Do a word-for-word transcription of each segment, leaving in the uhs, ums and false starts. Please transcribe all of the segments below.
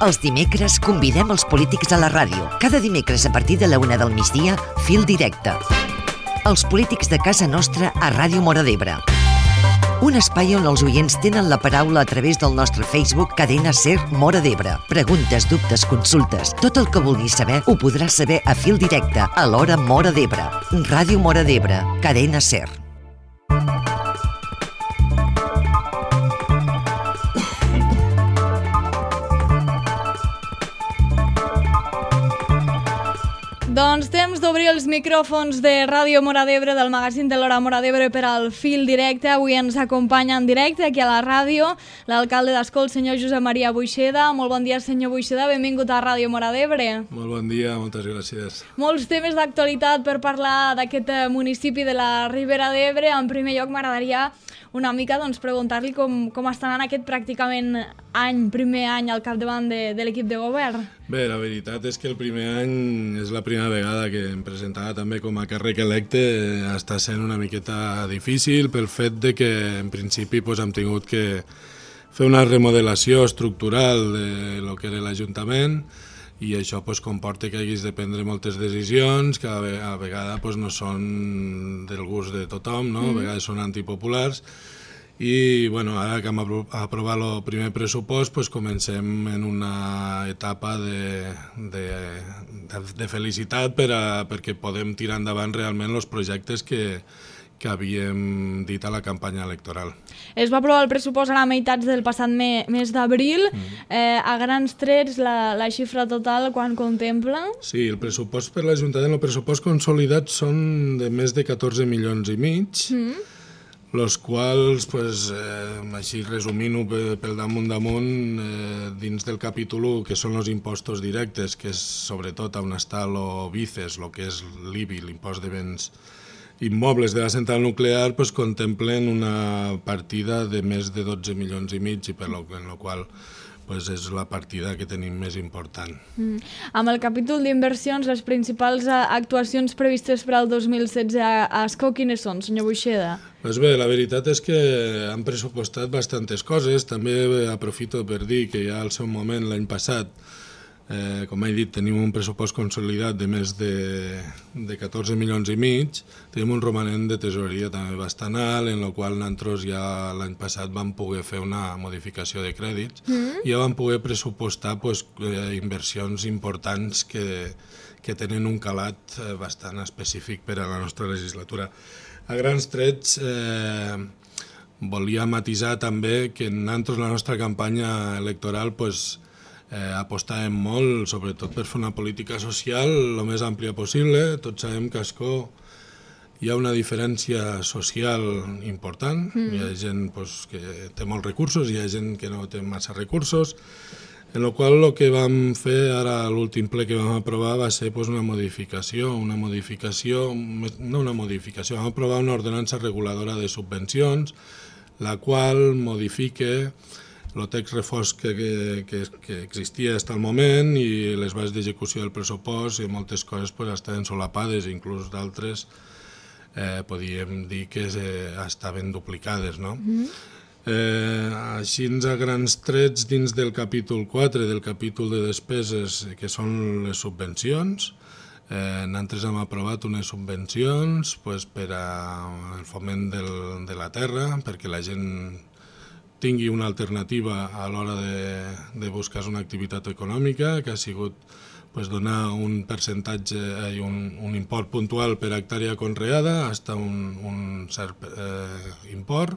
Els dimecres convidem els polítics a la ràdio. Cada dimecres a partir de la una del migdia, Fil Directe. Els polítics de casa nostra a Ràdio Móra d'Ebre. Un espai on els oients tenen la paraula a través del nostre Facebook Cadena Ser Móra d'Ebre. Preguntes, dubtes, consultes. Tot el que vulguis saber ho podràs saber a Fil Directe, a l'hora Móra d'Ebre. Ràdio Móra d'Ebre, Cadena Ser. Doncs temps d'obrir els micròfons de Ràdio Móra d'Ebre, del magazín de l'Hora Móra d'Ebre per al Fil Directe. Avui ens acompanya en directe aquí a la ràdio l'alcalde d'Ascó, el senyor Josep Maria Buixeda. Molt bon dia, senyor Buixeda, benvingut a Ràdio Móra d'Ebre. Molt bon dia, moltes gràcies. Molts temes d'actualitat per parlar d'aquest municipi de la Ribera d'Ebre. En primer lloc m'agradaria una mica doncs, preguntar-li com, com està anant aquest pràcticament any, primer any al capdavant de, de l'equip de govern. Bé, la veritat és que el primer any és la primera vegada que em presentava també com a càrrec electe. Està sent una miqueta difícil pel fet de que en principi doncs, hem tingut que fer una remodelació estructural de lo que era l'Ajuntament i això pues, comporta que haguis de prendre moltes decisions que a la vegada pues, no són del gust de tothom, no? A vegades són antipopulars i bueno, ara que hem aprovat el primer pressupost pues, comencem en una etapa de, de, de, de felicitat per a, perquè podem tirar endavant realment els projectes que, que havíem dit a la campanya electoral. Es va aprovar el pressupost a la meitat del passat me, mes d'abril. Mm. Eh, a grans trets, la, la xifra total, quan contempla? Sí, el pressupost per l'Ajuntament, el pressupost consolidat són de més de catorze milions i mig, mm. los quals, pues, eh, així resumint-ho pel damunt damunt, eh, dins del capítol u, que són els impostos directes, que és sobretot on està el BICES, el que és l'I B I, l'impost de béns immobles de la central nuclear, pues, contemplen una partida de més de dotze milions i mig, i per lo, en la qual pues, és la partida que tenim més important. Mm. Amb el capítol d'inversions, les principals actuacions previstes per al dos mil setze a Ascó, quines són, senyor Buixeda? Pues bé, la veritat és que han pressupostat bastantes coses. També aprofito per dir que ja al seu moment, l'any passat, Eh, com he dit, tenim un pressupost consolidat de més de, de catorze milions i mig, tenim un romanent de tesoreria també bastant alt, en el qual nosaltres ja l'any passat vam poder fer una modificació de crèdits mm. i ja vam poder pressupostar pues, eh, inversions importants que, que tenen un calat eh, bastant específic per a la nostra legislatura. A grans trets, eh, volia matisar també que nosaltres la nostra campanya electoral pues, Eh, apostàvem molt, sobretot per fer una política social el més àmplia possible. Tots sabem que a Ascó hi ha una diferència social important. Mm. Hi ha gent pues, que té molts recursos, hi ha gent que no té massa recursos, en la qual el que vam fer ara a l'últim ple que vam aprovar va ser pues, una modificació, una modificació, no una modificació, vam aprovar una ordenança reguladora de subvencions, la qual modifica el text reforç que, que, que existia fins al moment i les bases d'execució del pressupost i moltes coses pues, estaven solapades, inclús d'altres eh, podíem dir que eh, estaven duplicades. No? Mm. Eh, així a grans trets dins del capítol quatre, del capítol de despeses, que són les subvencions, eh, nosaltres hem aprovat unes subvencions pues, per al foment del, de la terra, perquè la gent tingui una alternativa a l'hora de, de buscar una activitat econòmica, que ha sigut pues, donar un percentatge i un, un import puntual per hectàrea conreada, fins a un, un cert eh, import.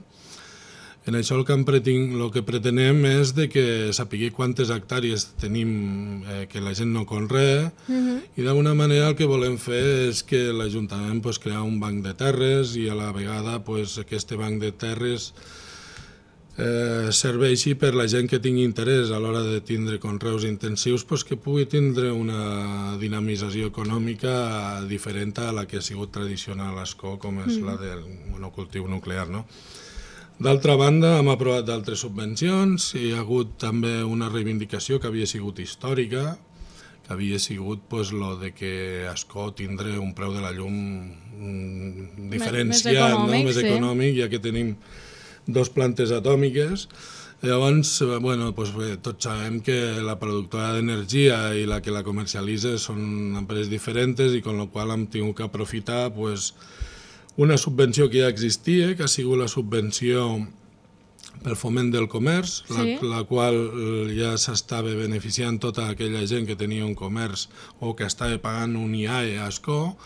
En això el que, preting, el que pretenem és de que sapigui quantes hectàrees tenim eh, que la gent no conrea uh-huh. i d'alguna manera el que volem fer és que l'Ajuntament pues, crear un banc de terres i a la vegada pues, aquest banc de terres Eh, serveixi per la gent que tingui interès a l'hora de tindre conreus intensius pues, que pugui tindre una dinamització econòmica diferent a la que ha sigut tradicional a Ascó, com és mm. la del monocultiu nuclear. No? D'altra banda, hem aprovat d'altres subvencions i hi ha hagut també una reivindicació que havia sigut històrica, que havia sigut pues, lo de que Ascó tindre un preu de la llum mm, diferenciat, més, més econòmic, no? Més sí. econòmic, ja que tenim dos plantes atòmiques Llavors, bueno, doncs bé, tots sabem que la productora d'energia i la que la comercialitza són empreses diferents i amb la qual hem tingut que aprofitar pues, una subvenció que ja existia, que ha sigut la subvenció pel foment del comerç, sí. la, la qual ja s'estava beneficiant tota aquella gent que tenia un comerç o que estava pagant un I A E a Ascó,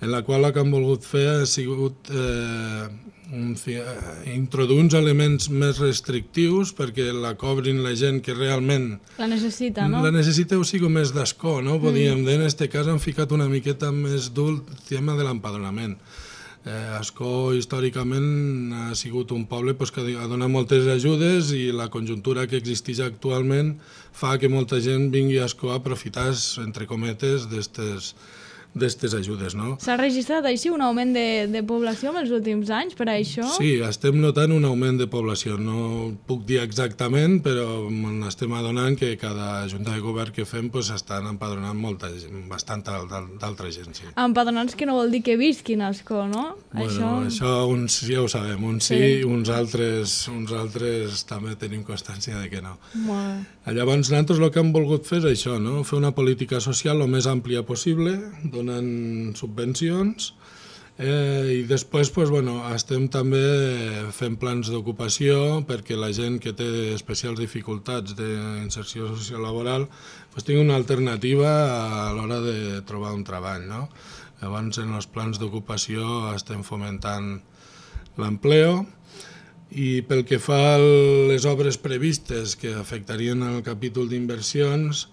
en la qual el que han volgut fer ha sigut eh, un, introduir uns elements més restrictius perquè la cobrin la gent que realment la necessita, no? La necessita o sigui més d'Ascó, no? Podríem mm. dir, en aquest cas han ficat una miqueta més dur el tema de l'empadronament. Eh, Ascó històricament ha sigut un poble pues, que ha donat moltes ajudes i la conjuntura que existeix actualment fa que molta gent vingui a Ascó a aprofitar, entre cometes, d'aquestes d'aquestes ajudes, no? S'ha registrat així un augment de, de població en els últims anys per a això? Sí, estem notant un augment de població. No puc dir exactament, però estem adonant que cada junta de govern que fem pues, estan empadronant molta gent, bastant d'altra gent, sí. Empadronats que no vol dir que visquin a Ascó, no? Bueno, això, això uns ja ho sabem, uns sí, sí uns, altres, uns altres també tenim constància de que no. Molt. Llavors, nosaltres el que hem volgut fer és això, no? Fer una política social el més àmplia possible, donant subvencions, eh, i després pues, bueno, estem també fent plans d'ocupació perquè la gent que té especials dificultats d'inserció sociolaboral pues, tingui una alternativa a l'hora de trobar un treball, no? Llavors, en els plans d'ocupació estem fomentant l'empleo. I pel que fa a les obres previstes que afectarien el capítol d'inversions,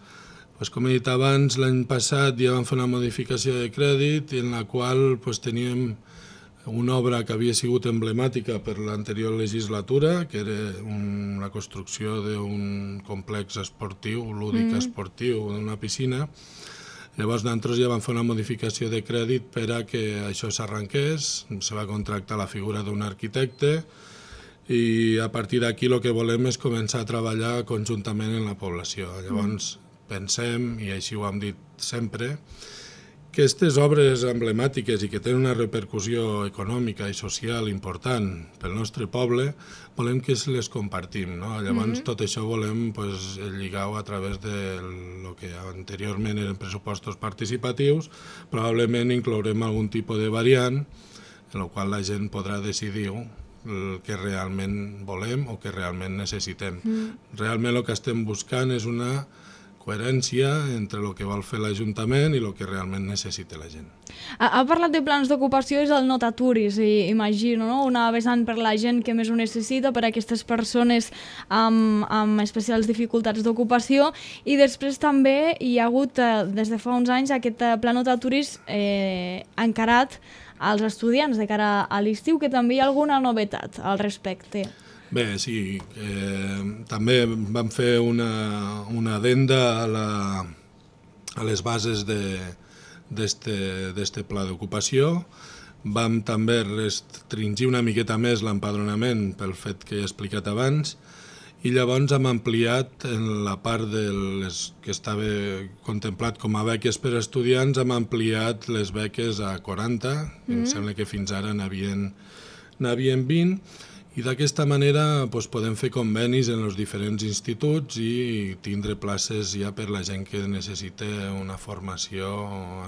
pues, com he dit abans, l'any passat ja vam fer una modificació de crèdit en la qual pues, teníem una obra que havia sigut emblemàtica per l'anterior legislatura, que era un, la construcció d'un complex esportiu, lúdic mm. esportiu, d'una piscina. Llavors nosaltres ja vam fer una modificació de crèdit per a que això s'arrenqués, se va contractar la figura d'un arquitecte, i a partir d'aquí el que volem és començar a treballar conjuntament en la població. Llavors pensem, i així ho hem dit sempre, que aquestes obres emblemàtiques i que tenen una repercussió econòmica i social important pel nostre poble, volem que les compartim, no? Llavors mm-hmm. tot això volem pues, lligar-ho a través de lo que anteriorment eren pressupostos participatius, probablement inclourem algun tipus de variant en la qual la gent podrà decidir el que realment volem o que realment necessitem. Mm. Realment el que estem buscant és una coherència entre el que vol fer l'Ajuntament i el que realment necessita la gent. Ha, ha parlat de plans d'ocupació, és el no t'aturis, imagino, no? Una vessant per la gent que més ho necessita, per a aquestes persones amb, amb especials dificultats d'ocupació, i després també hi ha hagut, des de fa uns anys, aquest pla no t'aturis eh, encarat als estudiants de cara a l'estiu, que també hi ha alguna novetat al respecte. Bé, sí, eh, també vam fer una, una addenda a, la, a les bases d'este pla d'ocupació. Vam també restringir una miqueta més l'empadronament pel fet que he explicat abans, i llavors hem ampliat en la part de les que estava contemplat com a beques per a estudiants, hem ampliat les beques a quaranta, mm. em sembla que fins ara n'havien vint, i d'aquesta manera doncs, podem fer convenis en els diferents instituts i tindre places ja per la gent que necessita una formació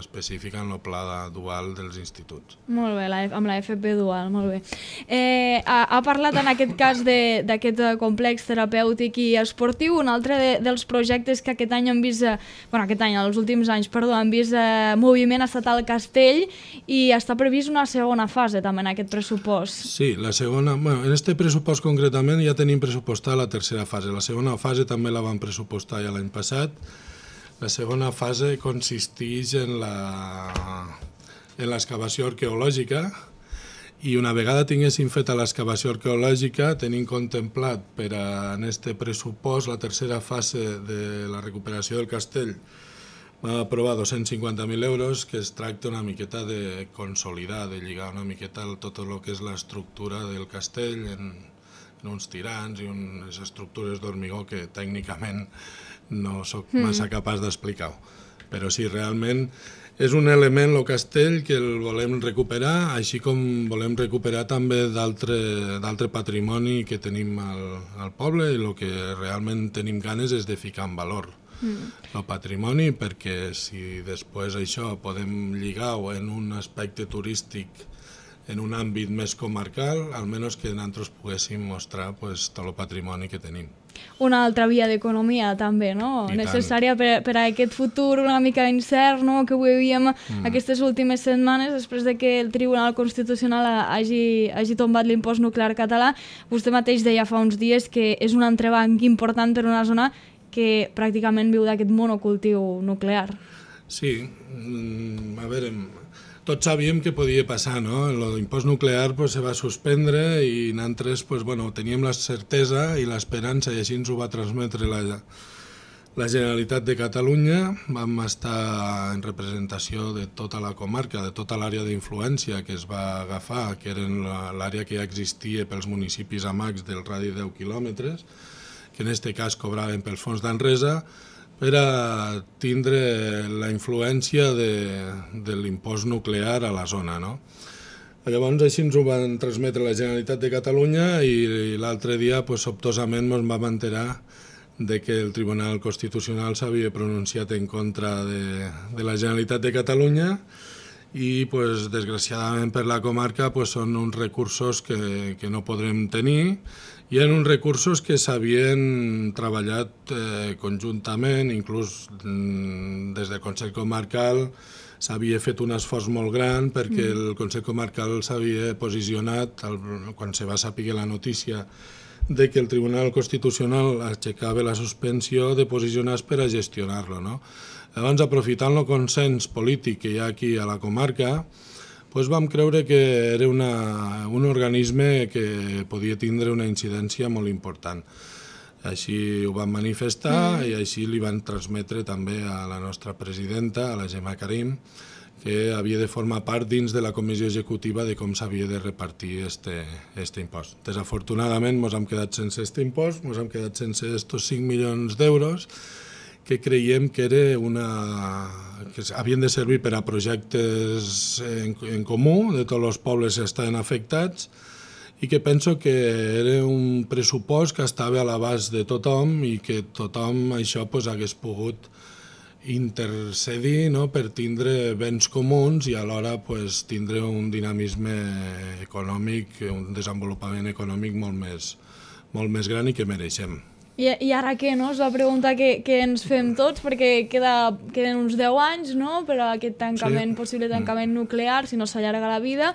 específica en el pla dual dels instituts. Molt bé, la, amb la F P dual, molt bé. Eh, ha, ha parlat en aquest cas d'aquest complex terapèutic i esportiu. Un altre de, dels projectes que aquest any han vist, bueno, aquest any, els últims anys, perdó, han vist eh, moviment ha estat al Castell, i està previst una segona fase també en aquest pressupost. Sí, la segona... Bueno, en este pressupost concretament ja tenim pressupostada la tercera fase. La segona fase també la vam pressupostar ja l'any passat. La segona fase consisteix en l'excavació arqueològica, i una vegada tinguéssim fet l'excavació arqueològica, tenim contemplat per a, en este pressupost la tercera fase de la recuperació del castell. Vam aprovar dos-cents cinquanta mil euros, que es tracta una miqueta de consolidar, de lligar una miqueta tot el que és l'estructura del castell en, en uns tirants i unes estructures d'hormigó que tècnicament no sóc massa capaç d'explicar-ho. Però sí, realment és un element, el castell, que el volem recuperar, així com volem recuperar també d'altre patrimoni que tenim al, al poble, i el que realment tenim ganes és de ficar en valor mm. el patrimoni, perquè si després això podem lligar-ho en un aspecte turístic en un àmbit més comarcal, almenys que nosaltres poguéssim mostrar pues, tot el patrimoni que tenim. Una altra via d'economia també, no? I necessària per, per a aquest futur una mica incert, no? Que veiem mm. aquestes últimes setmanes després de que el Tribunal Constitucional hagi, hagi tombat l'impost nuclear català. Vostè mateix deia fa uns dies que és un entrebanc important per una zona que pràcticament viu d'aquest monocultiu nuclear. Sí, a veure, tots sabíem que podia passar, no? L'impost nuclear pues, se va suspendre i nosaltres pues, bueno, teníem la certesa i l'esperança, i així ens ho va transmetre la, la Generalitat de Catalunya. Vam estar en representació de tota la comarca, de tota l'àrea d'influència que es va agafar, que eren l'àrea que ja existia pels municipis amacs del radi de deu quilòmetres, que en aquest cas cobraven pels fons d'Enresa, per a tindre la influència de, de l'impost nuclear a la zona. No? Llavors així ens ho van transmetre la Generalitat de Catalunya i l'altre dia pues, sobtosament ens vam enterar de que el Tribunal Constitucional s'havia pronunciat en contra de, de la Generalitat de Catalunya i pues, desgraciadament per la comarca pues, són uns recursos que, que no podrem tenir. Hi ha uns recursos que s'havien treballat eh, conjuntament, inclús mm, des del Consell Comarcal s'havia fet un esforç molt gran perquè mm. el Consell Comarcal s'havia posicionat, el, quan se va saber la notícia de que el Tribunal Constitucional aixecava la suspensió, de posicionar-se per a gestionar-lo. No? Llavors, aprofitant el consens polític que hi ha aquí a la comarca, pues vam creure que era una, un organisme que podia tindre una incidència molt important. Així ho vam manifestar mm. i així li van transmetre també a la nostra presidenta, a la Gemma Karim, que havia de formar part dins de la comissió executiva de com s'havia de repartir este, este impost. Desafortunadament ens hem quedat sense este impost, ens hem quedat sense estos cinc milions d'euros, que creiem que era una, que havien de servir per a projectes en, en comú de tots els pobles que estaven afectats i que penso que era un pressupost que estava a l'abast de tothom i que tothom això pues, hagués pogut intercedir, no? Per tindre béns comuns i alhora pues, tindre un dinamisme econòmic, un desenvolupament econòmic molt més, molt més gran i que mereixem. I, I ara què, no? És la pregunta que, que ens fem tots, perquè queda, queden uns deu anys, no?, per a aquest tancament, sí. possible tancament nuclear, si no s'allarga la vida.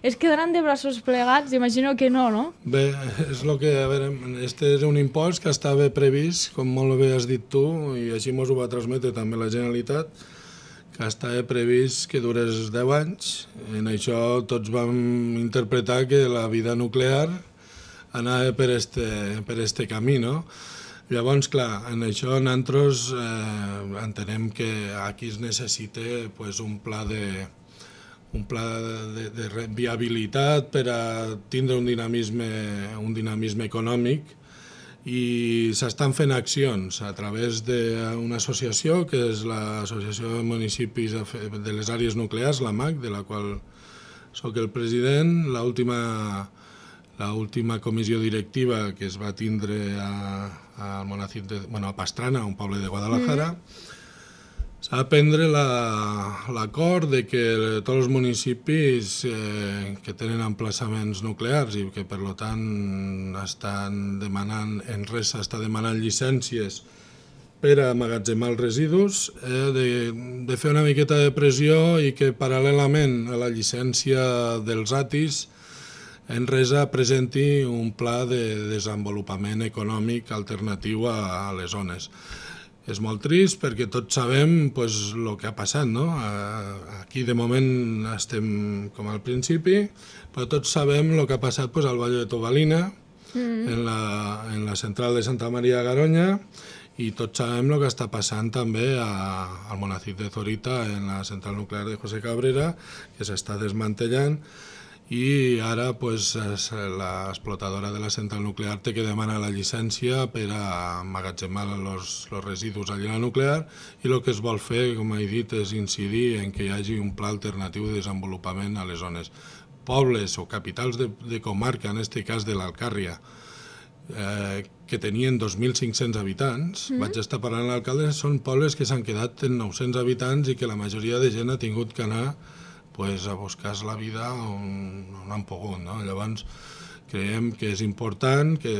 Es quedaran de braços plegats? Imagino que no, no? Bé, és el que, a veure, este és un impost que estava previst, com molt bé has dit tu, i així ens ho va transmetre també la Generalitat, que estava previst que durés deu anys. En això tots vam interpretar que la vida nuclear anava per este, per este camí, no? Llavors, clar, en això nosaltres eh, entenem que aquí es necessita pues, un pla de un pla de, de, de viabilitat per a tindre un dinamisme, un dinamisme econòmic i s'estan fent accions a través d'una associació que és l'Associació de Municipis de les Àrees Nuclears, l'A M A C, de la qual soc el president. L'última L'última comissió directiva que es va tindre a, a, de, bueno, a Pastrana, un poble de Guadalajara, mm. s'ha de prendre l'acord de que tots els municipis eh, que tenen emplaçaments nuclears i que per tant estan demanant, Enresa està demanant llicències per a amagatzemar els residus, eh, de, de fer una miqueta de pressió i que paral·lelament a la llicència dels A T Is Enresa presenti un pla de desenvolupament econòmic alternatiu a, a les zones. És molt trist perquè tots sabem pues, el que ha passat, no? Aquí de moment estem com al principi, però tots sabem el que ha passat pues, al Vall de Tobalina, mm. en, la, en la central de Santa Maria de Garoña, i tots sabem el que està passant també a, al Monacit de Zorita, en la central nuclear de José Cabrera, que s'està desmantellant, i ara pues, l'explotadora de la central nuclear té que demanar la llicència per a emmagatzemar els residus allà a la nuclear i el que es vol fer, com he dit, és incidir en que hi hagi un pla alternatiu de desenvolupament a les zones. Pobles o capitals de, de comarca, en aquest cas de l'Alcàrria, eh, que tenien dos mil cinc-cents habitants, mm. vaig estar parlant amb l'alcalde, són pobles que s'han quedat en nou-cents habitants i que la majoria de gent ha tingut que anar pues, a buscar la vida on, on han pogut. No? Llavors, creiem que és important que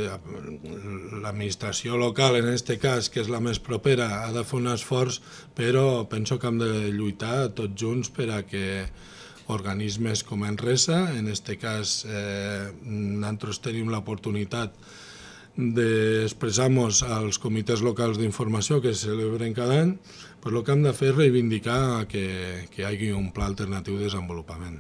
l'administració local, en aquest cas, que és la més propera, ha de fer un esforç, però penso que hem de lluitar tots junts per a que organismes com Enresa, en aquest cas eh, nosaltres tenim l'oportunitat d'expressar-nos als comitès locals d'informació que se celebren cada any, pues el que hem de fer és reivindicar que, que hi hagi un pla alternatiu de desenvolupament.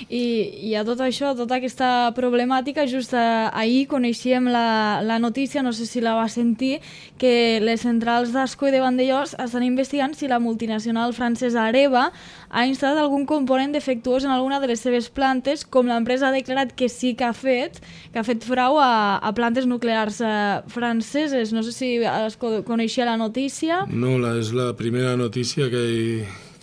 I, i a tot això, tota aquesta problemàtica, just ahir coneixíem la, la notícia, no sé si la va sentir, que les centrals d'Ascó i de Vandellòs estan investigant si la multinacional francesa Areva ha instal·lat algun component defectuós en alguna de les seves plantes, com l'empresa ha declarat que sí que ha fet, que ha fet frau a, a plantes nuclears eh, franceses. No sé si es coneixia la notícia. No, la, és la primera notícia que hi...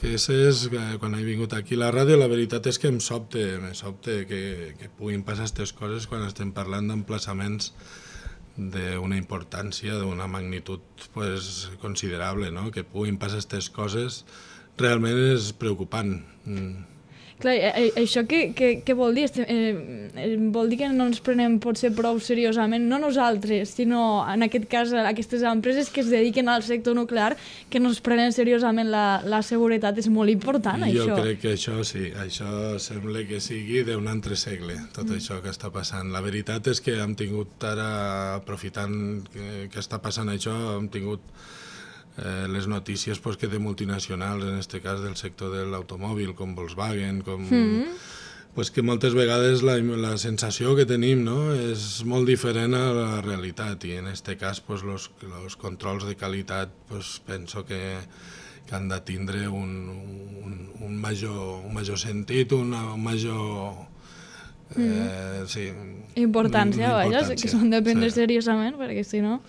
que és que quan he vingut aquí a la ràdio, la veritat és que em sobte, em sobte que, que puguin passar aquestes coses quan estem parlant d'emplaçaments d'una importància, d'una magnitud pues, considerable, no? Que puguin passar aquestes coses realment és preocupant. Mm. Clar, això què, què, què vol dir? Eh, vol dir que no ens prenem potser prou seriosament, no nosaltres, sinó en aquest cas aquestes empreses que es dediquen al sector nuclear, que no es prenen seriosament la, la seguretat. És molt important, jo això. Jo crec que això sí, això sembla que sigui d'un altre segle, tot mm. això que està passant. La veritat és que hem tingut ara, aprofitant que, que està passant això, hem tingut Eh, les notícies pues, que de multinacionals, en aquest cas del sector de l'automòbil, com Volkswagen, com, mm. pues, que moltes vegades la, la sensació que tenim, no, és molt diferent a la realitat i en aquest cas pues, los, los controls de qualitat pues, penso que, que han de tindre un, un, un, major, un major sentit, una, un major... Eh, sí, importància, vaja, que s'han de prendre sí. seriosament, perquè si no...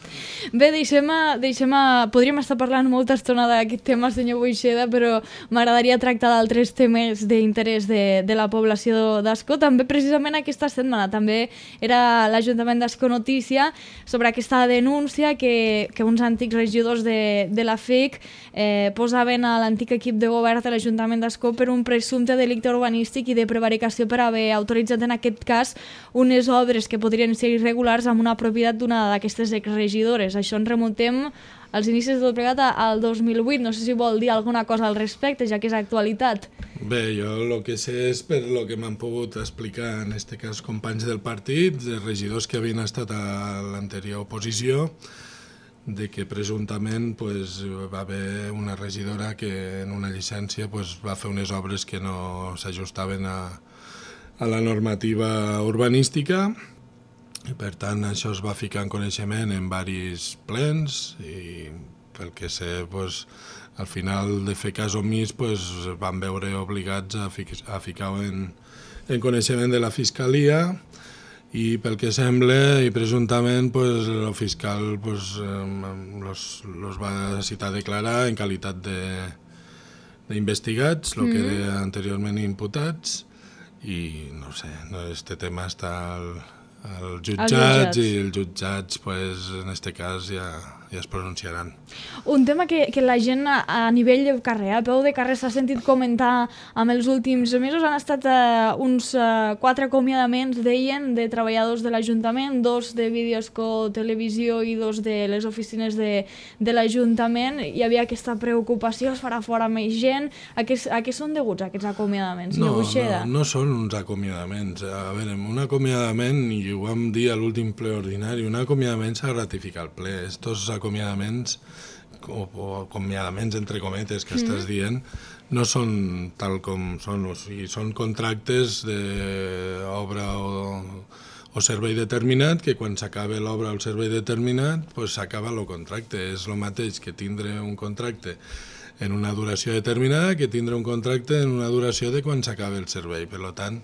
Bé, deixem, a, deixem a... podríem estar parlant molta estona d'aquest tema, senyor Boixeda, però m'agradaria tractar d'altres temes d'interès de, de la població d'Ascó. També, precisament, aquesta setmana, també era l'Ajuntament d'Ascó notícia sobre aquesta denúncia que, que uns antics regidors de, de la F I C eh, posaven a l'antic equip de govern de l'Ajuntament d'Ascó per un presumpte delicte urbanístic i de prevaricació per haver autoritzat en aquest cas unes obres que podrien ser irregulars amb una propietat d'una d'aquestes exregidores. Això ens remuntem als inicis del plegat al dos mil vuit. No sé si vol dir alguna cosa al respecte, ja que és actualitat. Bé, jo el que sé és per el que m'han pogut explicar, en aquest cas, companys del partit, de regidors que havien estat a l'anterior oposició, de que presumptament pues, va haver una regidora que en una llicència pues, va fer unes obres que no s'ajustaven a a la normativa urbanística i per tant això es va ficar en coneixement en diversos plens i pel que sé pues, al final de fer cas omís pues, van veure obligats a, fi a ficar-ho en, en coneixement de la Fiscalia i pel que sembla i presumptament pues, el fiscal pues, los, los va citar a declarar en qualitat d'investigats, el que era anteriorment imputats. I no sé, este tema està al, al jutjats i els jutjats pues, en aquest cas ja, ja es pronunciaran. Un tema que, que la gent a, a nivell de carrer, a peu de carrer, s'ha sentit comentar amb els últims mesos, han estat uh, uns uh, quatre acomiadaments, deien, de treballadors de l'Ajuntament, dos de Videosco Televisió i dos de les oficines de, de l'Ajuntament. Hi havia aquesta preocupació, es farà fora més gent. A què, a què són deguts aquests acomiadaments, senyor Boixeda? No, no són uns acomiadaments. A veure, un acomiadament, i ho vam dir a l'últim ple ordinari, un acomiadament s'ha de ratificar el ple. Estos acomiadaments o, o acomiadaments entre cometes que mm. estàs dient no són tal com són, o sigui, són contractes d'obra o, o servei determinat que quan s'acaba l'obra o el servei determinat pues s'acaba el contracte. És el mateix que tindre un contracte en una duració determinada que tindre un contracte en una duració de quan s'acaba el servei. Per tant,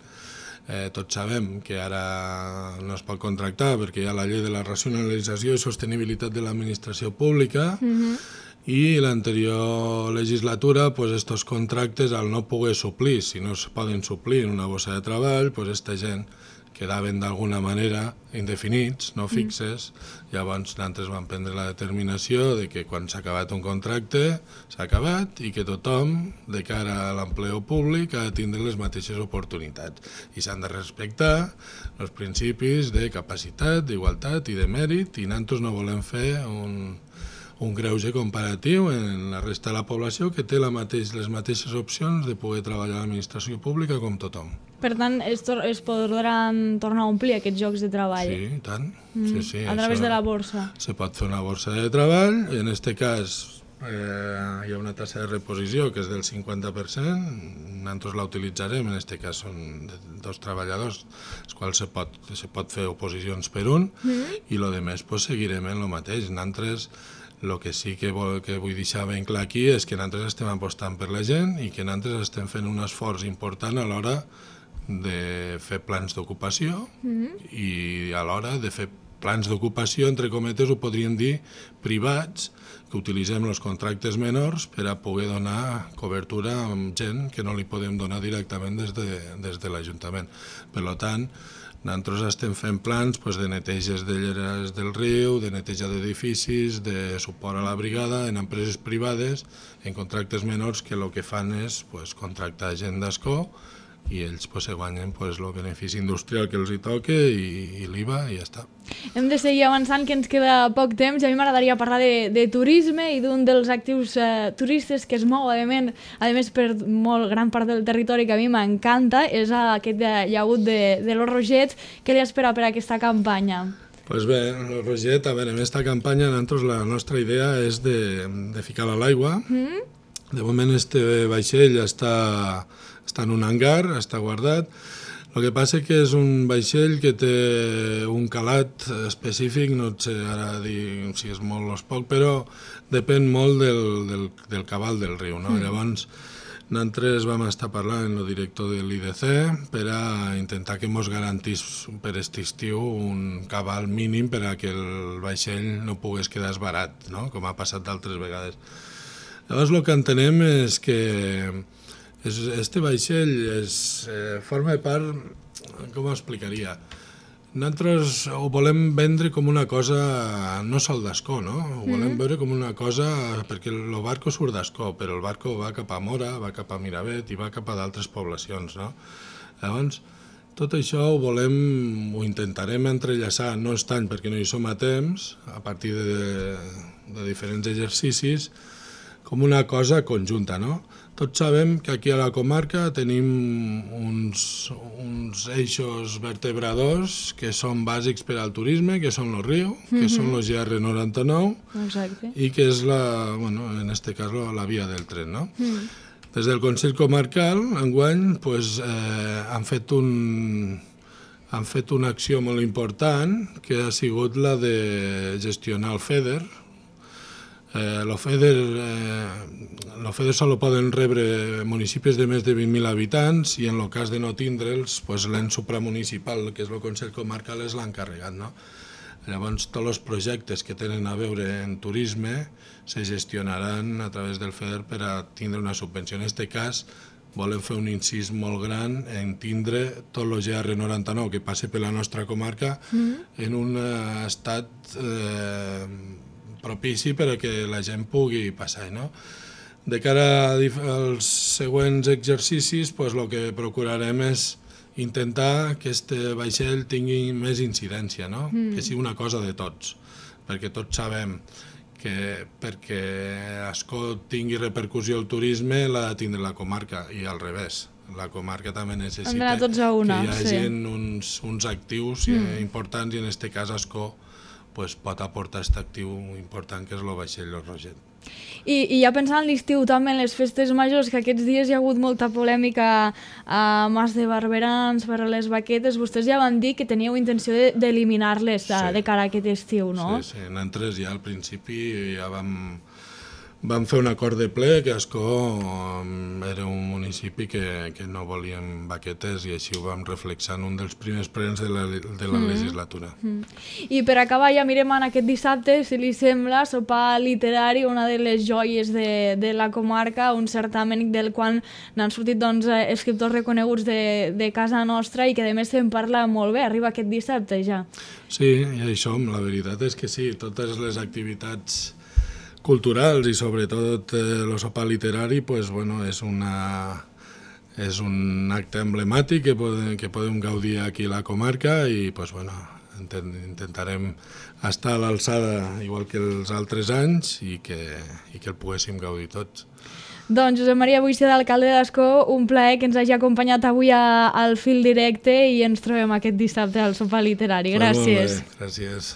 Eh, tots sabem que ara no es pot contractar perquè hi ha la llei de la racionalització i sostenibilitat de l'administració pública, mm-hmm. i l'anterior legislatura, pues, estos contractes, al no poder suplir, si no es poden suplir en una bossa de treball, pues, esta gent quedaven d'alguna manera indefinits, no fixes, mm. llavors nosaltres vam prendre la determinació de que quan s'ha acabat un contracte, s'ha acabat, i que tothom, de cara a l'empleo públic, ha de tindre les mateixes oportunitats. I s'han de respectar els principis de capacitat, d'igualtat i de mèrit, i nosaltres no volem fer un... un greuge comparatiu en la resta de la població que té la mateix, les mateixes opcions de poder treballar a l'administració pública com tothom. Per tant, es, es podran tornar a omplir aquests llocs de treball? Sí, i tant. Mm. Sí, sí, a través de la borsa? Se pot fer una borsa de treball, i en aquest cas eh, hi ha una tassa de reposició que és del cinquanta per cent, nosaltres la utilitzarem, en aquest cas són dos treballadors, els quals se pot, se pot fer oposicions per un, mm. i el demés pues, seguirem en el mateix. Nosaltres el que sí que, vol, que vull deixar ben clar aquí és que nosaltres estem apostant per la gent i que nosaltres estem fent un esforç important a l'hora de fer plans d'ocupació mm-hmm. i a l'hora de fer plans d'ocupació, entre cometes, ho podríem dir, privats, que utilitzem els contractes menors per a poder donar cobertura a gent que no li podem donar directament des de, des de l'Ajuntament. Per tant, nosaltres estem fent plans pues, de neteges de lleres del riu, de neteja d'edificis, de suport a la brigada en empreses privades, en contractes menors que el que fan és pues, contractar gent d'escó i ells pues, se guanyen pues, el benefici industrial que els hi toca i, i l'I V A i ja està. Hem de seguir avançant, que ens queda poc temps, i a mi m'agradaria parlar de, de turisme i d'un dels actius eh, turistes que es mou, a més, a més per molt gran part del territori, que a mi m'encanta, és aquest llagut de, de los Rogets. Què li espera per aquesta campanya? Pues bé, el Roget, a veure, en aquesta campanya nosaltres la nostra idea és de, de ficar-la a l'aigua. Mm? De moment este vaixell està, està en un hangar, està guardat. El que passa que és un vaixell que té un calat específic, no sé ara dir si és molt o és poc, però depèn molt del, del, del cabal del riu. No? Mm. Llavors, nosaltres vam estar parlant amb el director de l'I D C per a intentar que ens garantís per aquest estiu un cabal mínim per a que el vaixell no pogués quedar esbarat, no? Com ha passat d'altres vegades. Llavors el que entenem és que este vaixell és, eh, forma part, com ho explicaria, nosaltres ho volem vendre com una cosa no sol d'Ascó, no? Ho volem mm. veure com una cosa, perquè el barco surt d'Ascó, però el barco va cap a Mora, va cap a Miravet i va cap a d'altres poblacions, no? Llavors, tot això ho volem, ho intentarem entrellaçar, no és tant perquè no hi som a temps, a partir de, de diferents exercicis, com una cosa conjunta, no? Tots sabem que aquí a la comarca tenim uns, uns eixos vertebradors que són bàsics per al turisme, que són el riu, que mm-hmm. són els G R noranta-nou, exacte. I que és, la, bueno, en aquest cas, la via del tren, no? Mm. Des del Consell Comarcal, enguany, pues, eh, han fet un... han fet una acció molt important, que ha sigut la de gestionar el FEDER. Eh, el FEDER, eh, el FEDER solo poden rebre municipis de més de vint mil habitants i en el cas de no tindre'ls, pues, l'ens supramunicipal, que és el Consell Comarcal, és l'encarregat, no? Llavors, tots els projectes que tenen a veure en turisme se gestionaran a través del FEDER per a tindre una subvenció. En aquest cas, volem fer un incís molt gran en tindre tot el G R noranta-nou que passa per la nostra comarca mm-hmm. en un estat eh, propici per a que la gent pugui passar, no? De cara als següents exercicis, pues, el que procurarem és intentar que aquest vaixell tingui més incidència, no? Mm. Que sigui una cosa de tots, perquè tots sabem que perquè Ascó tingui repercussió al turisme l'ha de tindre la comarca i al revés. La comarca també necessita tots a una, que hi hagi sí. uns, uns actius mm. importants i en aquest cas Ascó pues, pot aportar aquest actiu important que és el vaixell Los Roget. I, i ja pensant en l'estiu també, en les festes majors, que aquests dies hi ha hagut molta polèmica a Mas de Barberans per a les baquetes, vostès ja van dir que teníeu intenció d'eliminar-les de, sí. de cara a aquest estiu, no? Sí, sí, nosaltres ja al principi ja vam, vam fer un acord de ple que Ascó era un municipi que, que no volíem baquetes i així ho vam reflexar en un dels primers plens de la, de la mm. legislatura. Mm. I per acabar ja mirem en aquest dissabte, si li sembla, sopar literari, una de les joies de, de la comarca, un certamen del qual n'han sortit doncs, escriptors reconeguts de, de casa nostra i que a més se'n parla molt bé, arriba aquest dissabte ja. Sí, i això, la veritat és que sí, totes les activitats culturals i sobretot el sopar literari pues, bueno, és, una, és un acte emblemàtic que podem, que podem gaudir aquí a la comarca i pues, bueno, intentarem estar a l'alçada igual que els altres anys i que, i que el poguéssim gaudir tots. Doncs Josep Maria Boixer, alcalde d'Ascó, un plaer que ens hagi acompanyat avui a, al Fil Directe i ens trobem aquest dissabte al sopar literari. Gràcies. Molt bé, gràcies.